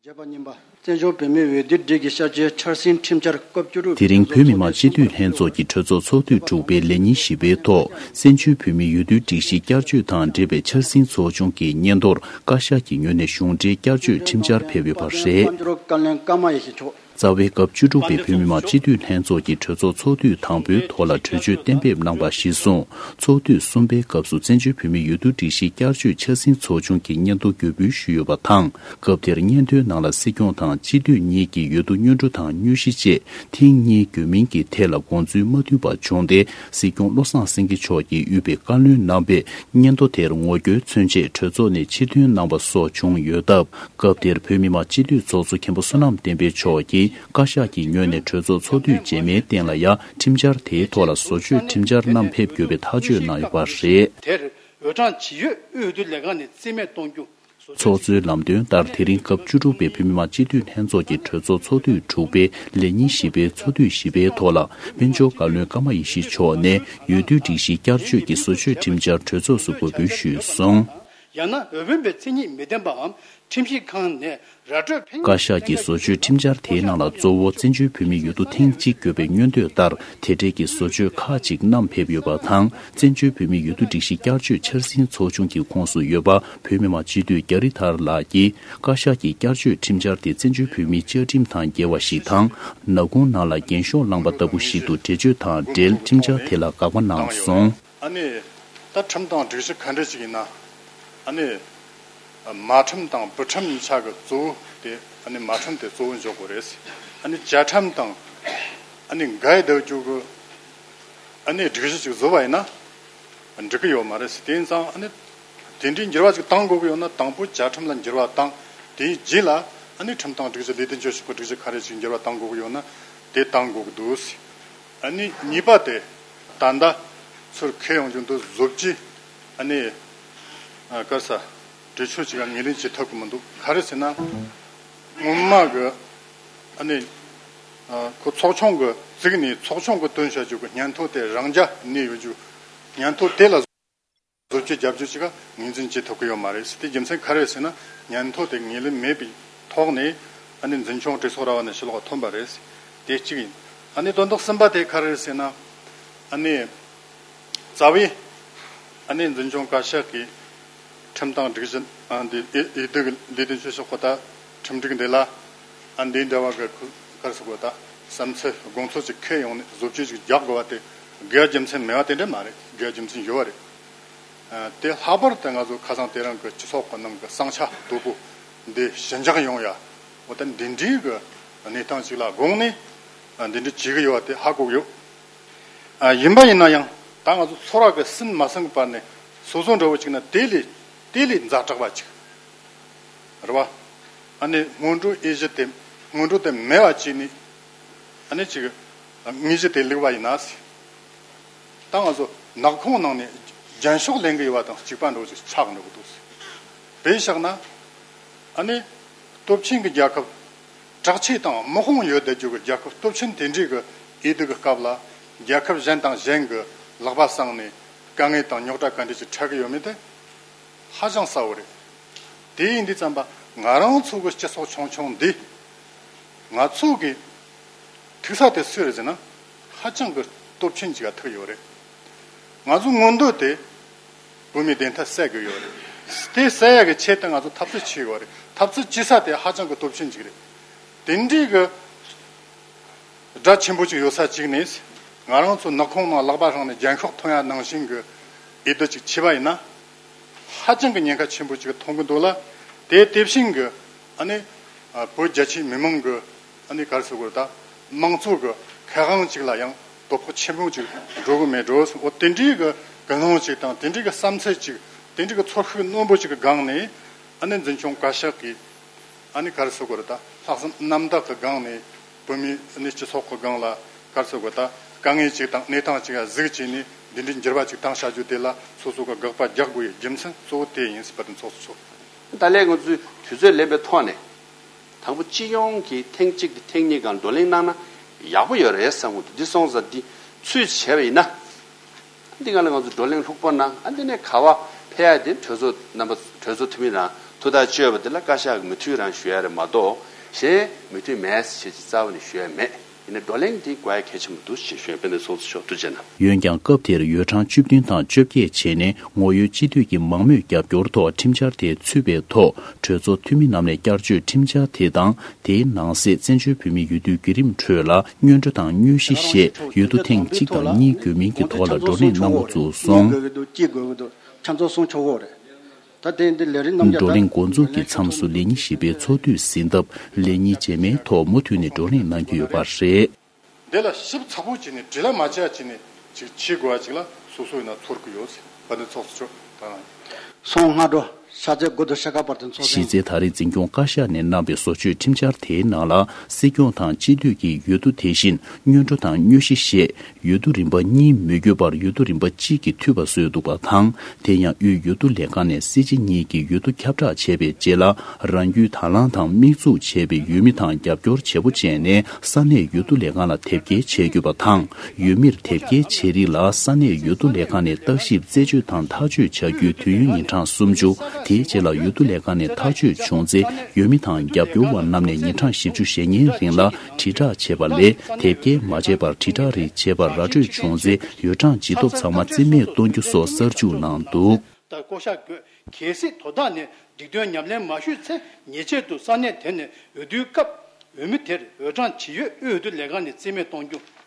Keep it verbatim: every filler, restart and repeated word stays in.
བརྒྱ་པ་གཉིས་པ། བཙན་བྱོལ་བོད་མིའི་འོས་བསྡུའི་སྒྲིག་གཞི་བསྐྱར་བཅོས་འཆར་ཟིན་ཁྲིམས་འཆར་སྐབས་བཅུ་དྲུག་དེ་རིང་བོད་མི་མང་སྤྱི་འཐུས་ལྷན་ཚོགས་ཀྱི་གྲོས་ཚོགས་ཚོགས་དུས་དྲུག་པའི་ལས་ཉིན་བཞི་པའི་ཐོག་བཙན་བྱོལ་བོད་མིའི་འོས་བསྡུའི་སྒྲིག་གཞི་བསྐྱར་བཅོས་དང་འབྲེལ་བའི་འཆར་ཟིན་ཚོགས་ཆུང་གི་སྙན་ཐོར་བཀའ་ཤག་གི་ངོས་ནས་གཞུང་འབྲེལ་བསྐྱར་བཅོས་ཁྲིམས་འཆར་ཕེབས་ཡོད་པ་རེད། རྩ་བའི་སྐབས་བཅུ་དྲུག་པའི་བོད་མི་མང་སྤྱི་འཐུས་ལྷན་ཚོགས་ཀྱི་གྲོས་ཚོགས་ཚོགས་དུས་དང་པོའི་ཐོག་ལ་གྲོས་ཆོད་གཏན་འབེབས་གནང་བ་གཞིར་བཟུང་། ཚོགས་དུས་གསུམ་པའི་སྐབས་སུ་བཙན་བྱོལ་བོད་མིའི་འོས་བསྡུ་སྒྲིག་གཞི་བསྐྱར་བཅོས་འཆར་ཟིན་ཚོགས་ཆུང་གི་སྙན་ཐོ་འགོད་འབུལ་ཞུས་ཡོད་པ་དང་། སྐབས་དེར་སྙན་ཐོའི་ནང་ལ་སྲིད་སྐྱོང་དང་སྤྱི་འཐུས་གཉིས་ཀྱི་འོས་བསྡུ་སྙན་སྒྲོན་དང་སྙན་ཞུ་བཅས་ཐེངས་གཉིས་འགོད་མིན་གྱི་ཐད་ལ་དགོངས་ཚུལ་མ་མཐུན་པ་བྱུང་སྟེ། སྲིད་སྐྱོང་བློ་བཟང་སེང་གེ་མཆོག་གིས་དབུས་པའི་བཀའ་བློན་རྣམ་པས་སྙན་ཐོ་དེར་ངོ་རྒོལ་མཚོན་ཆེད་གྲོས་ཚོགས་ནས་ཕྱིར་ཐོན་གནང་བ་སོགས་བྱུང་ཡོད་སྟབས། སྐབས་དེར་བོད་མི་མང་སྤྱི་འཐུས་ཚོགས་གཙོ་མཁན་པོ་བསོད་ནམས་བསྟན་འཕེལ་མཆོག་གིས་བཀའ་ཤག་གི་ངོས་ནས་གྲོས་ཚོགས་ཚོགས་དུས་རྗེས་མའི་སྟེང་ལ་ཡང་ཁྲིམས་འཆར་དེའི་ཐོག་ལ་བཟོ་བཅོས་ཁྲིམས་འཆར་བསྣམས་ཕེབས་དགོས་པའི་ཐག་གཅོད་གནང་ཡོད་པ་རེད། དེར་འོས་གྲངས་ཇི་ཡོད་དབུས་འོས་བསྡུ་ལས་ཁང་ནས་རྩིས་མེད་གཏོང་རྒྱུ། ཚོགས་གཙོའི་ལམ་སྟོན་ལྟར། དེ་རིང་སྐབས་བཅུ་དྲུག་པའི་བོད་མི་མང་སྤྱི་འཐུས་ལྷན་ཚོགས་ཀྱི་གྲོས་ཚོགས་ཚོགས་དུས་དྲུག་པའི་ལས་ཉིན་བཞི་པའི་ཚོགས་དུས་བཞི་པའི་ཐོག་ལ། དཔལ་འབྱོར་བཀའ་བློན་ཀརྨ་ཡེ་ཤེས་མཆོག་ནས་འོས་བསྡུའི་སྒྲིག་གཞི་བསྐྱར་བཅོས་ཀྱི་བཟོ་བཅོས་ཁྲིམས་འཆར་གྲོས་ཚོགས་སུ་འགོད་འབུལ་ཞུས་སོང་། ཡང་ན་འོས་འཕེན་པའི་མཚན་ཉིད་མི་ལྡན་པའམ། ཁྲིམས་ཞིབ་ཁང་ནས་ར་སྤྲོད་ཕེན། བཀའ་ཤག་གིས་བཟོ་བཅོས་ཁྲིམས་འཆར་དེའི་ནང་ལ་གཙོ་བོ་བཙན་བྱོལ་བོད་མིའི་འོས་བསྡུ་ཐེངས་གཅིག་དགོས་པའི་མངོན་འདོད་ལྟར། དེ་འབྲེལ་གྱི་བཟོ་བཅོས་ཁག་ཅིག་བསྣམས་ཕེབས་ཡོད་པ་དང་། བཙན་བྱོལ་བོད་མིའི་འོས་བསྡུ་སྒྲིག་གཞི་བསྐྱར་བཅོས་འཆར་ཟིན་ཚོགས་ཆུང་གི་ཁོངས་སུ་ཡོད་པ་བོད་མི་མང་སྤྱི་འཐུས་རྒྱ་རི་ཐར་ལགས་ཀྱིས། བཀའ་ཤག་གིས་བསྐྱར་བཅོས་ཁྲིམས་འཆར་དེ་བཙན་བྱོལ་བོད་མིའི་བཅའ་ཁྲིམས་དང་འགལ་བ་ཞིག་དང་། ནག་ཁུང་ནང་ལ་རྒྱན་ཤོག་བསླངས་པ་ལྟ་བུ་ཞིག་ཏུ་འགྲེལ་བརྗོད་དང་འབྲེལ་ཁྲིམས་འཆར་དེ་ལ་དགག་པ་གནང་སོང་། ཨ་ནི། ད་ཁྲིམས་དང་སྒྲིག་གཞི་ག་འདྲ་ཞིག་ཡིན་ན། ཨ་ནི། མ་ཁྲིམས་དང་བུ་ཁྲིམས་གཉིས་ཆ་གི་གཙོ་བོ་དེ་ཨ་ནི་མ་ཁྲིམས་དེ་གཙོ་བོ་འཇོག་དགོས་རེད། ཨ་ནི་བཅའ་ཁྲིམས་དང་ཨ་ནི་འགལ་སྡོད་རྒྱུ་གི་ཨ་ནི་སྒྲིག་གཞི་ཅིག་བཟོ་བ་ཡིན་ན་འགྲིག་གི་ཡོད་མ་རེད། དེ་ཡིན་ཙང་ཨ་ནི་དེ་འདྲའི་འགྱུར་བ་ཅིག་གཏང་དགོས་ཀྱི་ཡོད་ན་དང་པོ་བཅའ་ཁྲིམས་ལ་འགྱུར་བ་བཏང་། དེའི་རྗེས་ལ་ཨ་ནི་ཁྲིམས་དང་སྒྲིག་གཞི་ལས་དོན་བྱེད་ཕྱོགས་ཀྱི་སྒྲིག་གཞི་ག་རེ་ཅིག་འགྱུར་བ་གཏང་དགོས་ཀྱི་ཡོད་ན་དེ་གཏང་དགོས་ཀྱི་འདུག་ཨ་ནི་གཉིས་པ་དེ་ད་ལྟ་ཚུར་འཁེལ་ཡོང་རྒྱུ་འདུག་བཟོ་བཅོས་ཨ་ནི་ཨ་ག་རེ་ཟ་གྲོས་ཆོད་ཅིག་ལ་ངོས་ལེན་བྱེད་ཐུབ་ཀྱི་མི་འདུག་ག་རེ་ཟེར་ན་སྔོན་མ་གི་ཨ་ནི་ཨ་ཁོ་ཚོགས་ཆུང་གི་བཙུགས་ནས་ཚོགས་ཆུང་གི་བཏོན་བྱ་རྒྱུ་གི་སྙན་ཐོ་དེ་རང་འཇགས་གནས་ཡོད་རྒྱུ། སྙན་ཐོ་དེ་ལ་བཟོ་བཅོས་རྒྱབ་སྐྱོར་ཅིག་ངོས་འཛིན་བྱེད་ཐུབ་ཀྱི་ཡོད་མ་རེད། དེ་རྒྱུ་མཚན་ག་རེ་ཟེར་ན་སྙན་ཐོ་དེ་ངོས་ལེན་མེད་པའི་ཐོག་ནས་ཨ་ནི་འཛིན་སྐྱོང་གྲོས་ཚོགས་ར་བ་ནས་ཕྱི་ལོགས་ཐོན་པ་རེད། དེ་གཅིག་ཡིན། ཨ་ནི་དོན་དག་གསུམ་པ་དེ་ག་རེ་རེད་ཟེར་ན་ཨ་ནི་རྩ་བའི་ཨ་ནི་འཛིན་སྐྱོང་བཀའ་ཤག་གིས་ཁྲིམས་དང་སྒྲིག་གཞི་ཨ་འདི་ཨེ་ཨེ་འདི་གི་ལས་དོན་བྱེད་ཕྱོགས་ཁོ་ད་ཁྲིམས་སྒྲིག་འདི་ལ་ཨ་འདི་འདྲ་བ་གི་ག་རེ་ཟེར་དགོས་ད་བསམ་ཚུལ་དགོངས་ཚུལ་ཅིག་འཁེལ་ཡོང་ནས་བཟོ་བཅོས་ཅིག་རྒྱག་དགོས་པ་དེ་དགོས་རྒྱུ་མཚན་མེད་པ་དེ་འདྲ་མ་རེད། དགོས་རྒྱུ་མཚན་ཡོད་པ་རེད། ཨ་དེ་ལྷག་པར་དུ་ང་ཚོ་ཁ་སང་དེ་རིང་གི་སྤྱི་ཚོགས་ཀྱི་ནང་གི་ཟིང་ཆ་དོད་པོ་འདི་ཞི་འཇགས་ཡོང་ཡ་འོ་ད་འདི་འདྲའི་གི་གནས་སྟངས་ཅིག་ལ་དགོངས་ནས་ཨ་འདི་འདྲ་བྱེད་གི་ཡོད་པ་དེ་ཧ་གོ་གི་ཡོད། ཨ་ཡིན་པ་ཡིན་ན་ཡང་ད་ང་ཚོ་ཚོར་བ་གི་ཟིན་མ་ཟིན་གི་བར་ནས་སོ་སོ་འདྲ་བོ་ཅིག་ན་དེ་ལས་དེ་ལས་ཛ་དྲག་པ་ཅིག་རེད་བ། ཨ་ནི་སྔོན་འགྲོའི་དབྱེ་གཞི་དེ་སྔོན་འགྲོ་དེ་མེད་པ་བྱས་ནས་ཨ་ནི་ཅིག་དངོས་གཞི་དེ་ལུགས་པ་ཡིན་ན་ཟེར། ད་ང་ཚོ་ནག་ཁུང་ནང་ནས་རྒྱན་ཤོག་ལེན་གི་ཡོད་པ་དང་གཅིག་པ་འདྲ་བོ་ཅིག་ཆགས་འགྲོ་གི་འདུག་ཟེར། དཔེ་བཞག་ན་ཨ་ནི་སྟོབས་ཆེན་གྱི་རྒྱལ་ཁབ་དྲག་ཆས་དང་དམག་དཔུང་ཡོད་བསྡད་རྒྱུ་གི་རྒྱལ་ཁབ་སྟོབས་ཆེན་དེ་འདྲའི་གི་འོས་བསྡུ་གི་སྐབས་ལ་རྒྱལ་ཁབ་གཞན་དང་གཞན་གི་ལག་པ་བསྲིངས་ནས་དཀའ་ངལ་དང་རྙོག་དྲ་ག་འདྲ་ཅིག་འཕྲད་གི་ཡོད་མེད་དེ་ཧ་ཅང་གསལ་བོ་རེད། དེ་ཡིན་དུས་ཙམ་པ་ང་རང་ཚོ་གི་སྤྱི་ཚོགས་ཆུང་ཆུང་འདི་ང་ཚོ་གི་ཐུག་ས་དེ་སུ་རེད་ཟེར་ན་ཧ་ཅང་གི་སྟོབས་ཆེན་ཅིག་ལ་ཐུག་ཡོད་རེད། ང་ཚོ་མངོན་འདོད་དེ་བོད་མིའི་བདེན་མཐའ་གསལ་དགོས་ཡོད་རེད། དེ་གསལ་ཡག་གི་ཆེད་དུ་ང་ཚོ་འཐབ་རྩོད་བྱེད་དགོས་རེད། འཐབ་རྩོད་བྱེད་ས་དེ་ཧ་ཅང་གི་སྟོབས་ཆེན་ཅིག་རེད། དེ་འདྲའི་གི་དགྲ་ཆེན་པོ་ཅིག་ཡོད་ས་ཅིག་ནས་ང་རང་ཚོ་ནག་ཁུང་ནང་ལག་པ་བསྲིངས་ནས་རྒྱན་ཤོག་ཐོན་ཡ་ནང་བཞིན་གི་འོས་བསྡུ་ཅིག་བྱས་པ་ཡིན་ན་ཧ་ཅང་གི་ཉེན་ཁ་ཆེན་པོ་ཅིག་མཐོང་གི་འདུག་ལ། དེ་དེ་བཞིན་གི་ཨ་ནི་བོད་རྒྱ་ཆེའི་མི་མང་གི་ཨ་ནི་ག་རེ་ཟེར་དགོས་རེད་ད། དམངས་གཙོ་གི་ཁེ་དབང་ཅིག་ལ་ཡང་དོ་ཕོག་ཆེན་པོ་ཅིག་འགྲོ་གི་མེད་འགྲོ། འོ་དེ་འདྲའི་གི་ཀུན་སློང་ཅིག་དང་དེ་འདྲའི་གི་བསམ་ཚུལ་ཅིག་དེ་འདྲའི་གི་ཚོར་ཤུགས་རྣོན་པོ་ཅིག་གི་སྒང་ནས་ཨ་ནི་འཛིན་སྐྱོང་བཀའ་ཤག་གིས་ཨ་ནི་ག་རེ་ཟེར་དགོས་རེད་ད། ལྷག་བསམ་རྣམ་དག་གི་སྒང་ནས་བོད་མིའི་ཨ་ནི་སྤྱི་ཚོགས་ཀྱི་སྒང་ལ་ག་རེ་ཟེར་དགོས་ད། དཀའ་ངལ་ཅིག་དང་གནས་སྟངས་ཅིག་ལ་གཟིགས་བྱས་ནས་འདི་འདྲའི་འགྱུར་བ་ཅིག་བཏང་བྱ་རྒྱུ་དེ་ལ་སོ་སོ་གི་དགག་པ་རྒྱག་དགོས་ཡའི་རྒྱུ་མཚན་གཙོ་བོ་དེ་ཡིན་ཟེར་བ་དེ་ཚོགས་གཙོ་མཆོག་ད་ལན་ང་ཚོས་དུས་ཚོད་ལེན་པའི་ཐོག་ནས། དང་པོ་སྤྱི་ཡོངས་ཀྱི་ཐེངས་གཅིག་དང་ཐེངས་གཉིས་སྒང་བགྲོ་གླེང་གནང་ན་ཡག་པོ་ཡོད་རེད་བསམ་གྱི་འདུག་འདི་སོང་ཙང་འདི་ཚུད་བྱས་པ་ཡིན་ན། འདི་སྒང་ལ་ང་ཚོ་བགྲོ་གླེང་ལྷུག་པོ་གནང་། ཨ་འདི་ནས་ག་བ་ཕེབས་ཡ་དེ་གྲོས་ཚོགས་རྣམ་པ་གྲོས་ཚོགས་འཐུས་མི་རང་ ཐུགས་ཐག་གཅོད་པ་དེ་ལ་བཀའ་ཤག་གི་མོས་མཐུན་རང་ཞུ་ཡ་རེད་མ་གཏོགས། གཞན་མོས་མཐུན་མེད་ཟེར་ཅིག་རྩ་བ་ནས་ཞུ་ཡ་མེད། ཡིན་ན་བགྲོ་གླེང་འདི་དགོས་ཡ་གལ་ཆེན་པོ་འདུག་ཅེས་ཞུ་ཡ། དཔལ་ལྡན་ཚོགས་གཙོ་མཆོག་ཐུགས་རྗེ་གནང་། འོན་ཀྱང་སྐབས་དེར་ཡོ་གྲངས་བཅུ་བདུན་དང་བཅོ་བརྒྱད་བྱས་ནས་ངོ་ཡོད་སྤྱི་འཐུས་ཀྱི་མང་མོས་རྒྱབ་སྐྱོར་ཐོག་ཁྲིམས་འཆར་དེ་ཚུད་པའི་ཐོག་གྲོས་ཚོགས་འཐུས་མི་རྣམས་ནས་བསྐྱར་བཅོས་ཁྲིམས་འཆར་དེ་དང་། དེའི་ནང་གསེས་བཙན་བྱོལ་བོད་མིའི་འོས་བསྡུའི་བརྒྱུད་རིམ་ཁྲོད་ལ་སྔོན་འགྲོ་དང་དངོས་གཞི་ཞེས་འོས་བསྡུ་ཐེངས་གཅིག་དང་གཉིས་དགོས་མིན་གྱི་ཐོག་ལ་བགྲོ་གླེང་གནང་འགོ་བཙུགས་སོང་། ད་དེ་འདི་ལས་རིམ་རྣམས་ཀྱང་བགྲོ་གླེང་འགོ་འཛུགས་ཀྱི་མཚམས་སུ་ལས་ཉིན་བཞི་པའི་ཚོགས་དུས་ཟིན་སྟབས། ལས་ཉིན་རྗེས་མའི་ཐོག་མུ་མཐུད་ནས་བགྲོ་གླེང་གནང་རྒྱུ་ཡོད་པ་རེད། འདི་ལ་ཞིབ་ཚགས་པོ་བྱས་ནས་འབྲེལ་ལ་མ་བྱས་བྱས་ནས་ཅིག་བྱེད་དགོས་པ་ཅིག་ལ་སོ་སོ་ཡིན་ན་ཚོར་གི་ཡོད་ཟེར། དཔལ་ལྡན་ཚོགས་གཙོ་མཆོག་དང་། སོང་སྔ་དྲོ་ཤར་རྩེ་དགུ་མདོ་ཤར་ཁ་བར་དུ་འཚོགས་གཞི་མཁན། རྩའི་ད་རེས་འཛིན་སྐྱོང་བཀའ་ཤག་ནས་གནང་བའི་བཟོ་བཅོས་ཁྲིམས་འཆར་དེའི་ནང་ལ་སྲིད་སྐྱོང་དང་སྤྱི་འཐུས་ཀྱི་འོས་བསྡུ་དེ་བཞིན་སྔོན་འགྲོ་དང་དངོས་གཞི་ཞེས། འོས་བསྡུ་རིམ་པ་གཉིས་མི་དགོས་པར་འོས་བསྡུ་རིམ་པ་གཅིག་གིས་འཐུས་པ་བཟོས་འདུག་པ་དང་། དེ་ཡང་དབུས་འོས་བསྡུ་ལས་ཁང་ནས་སྲིད་སྤྱི་གཉིས་ཀྱི་འོས་བསྡུ་ཁྱབ་བསྒྲགས་བྱས་པའི་རྗེས་ལ། རང་རྒྱུད་དང་བླངས་དང་དམིགས་འཛུགས་བྱས་པའི་འོས་མི་དང་རྒྱབ་སྐྱོར་བྱེད་པོ་བྱས་ནས་ས་གནས་འོས་བསྡུ་ལས་ཁང་ལ་དེབ་སྐྱེལ་བྱེད་དགོས་པ་དང་། འོས་མིར་དེབ་སྐྱེལ་བྱེད་རིགས་ལ་ས་གནས་འོས་བསྡུ་ལས་ཁང་ནས་བརྟག་ཞིབ་རྩད་གཅོད་དང་ཐག་གཅོད་བྱ་རྒྱུའི་དུས་ཡུན་ཉིན་གྲངས་སུམ་ཅུ། དེའི་རྗེས་ལ་འོས་བསྡུ་ལས་ཁང་ནས་ཐག་གཅོད་བྱུང་ཚེ། འོས་མི་དང་རྒྱབ་སྐྱོར་བ་རྣམས་ནས་ཉིན་གྲངས་བཞི་བཅུ་ཞེ་ལྔའི་རིང་ལ་དྲིལ་བསྒྲགས་བྱས་པ་ལས། དེབ་སྐྱེལ་མ་བྱས་པར་དྲིལ་བསྒྲགས་རིགས་བྱས་པར་ར་སྤྲོད་བྱུང་ཚེ། འོས་གྲངས་ཇི་ཐོབ་ཚང་མ་རྩིས་མེད་གཏོང་རྒྱུ་སོགས་གསར་འཇུག་གནང་འདུག། ལྟར་བསྐོ་བཞག་དགོས། གལ་སྲིད་དོ་བདག་ནས་སྒྲིག་དོན་ཉམས་ལེན་མ་ཞུས་ཚེ། ཉེས་ཆད་དུ་ས་གནས་དེ་ནས་འོས་བསྡུའི་སྐབས་འོས་མི་དེར་འོས་གྲངས་ཇི་ཡོད་དབུས་འོས་བསྡུ་ལས་ཁང་ནས་རྩིས་མེད་གཏོང་རྒྱུ།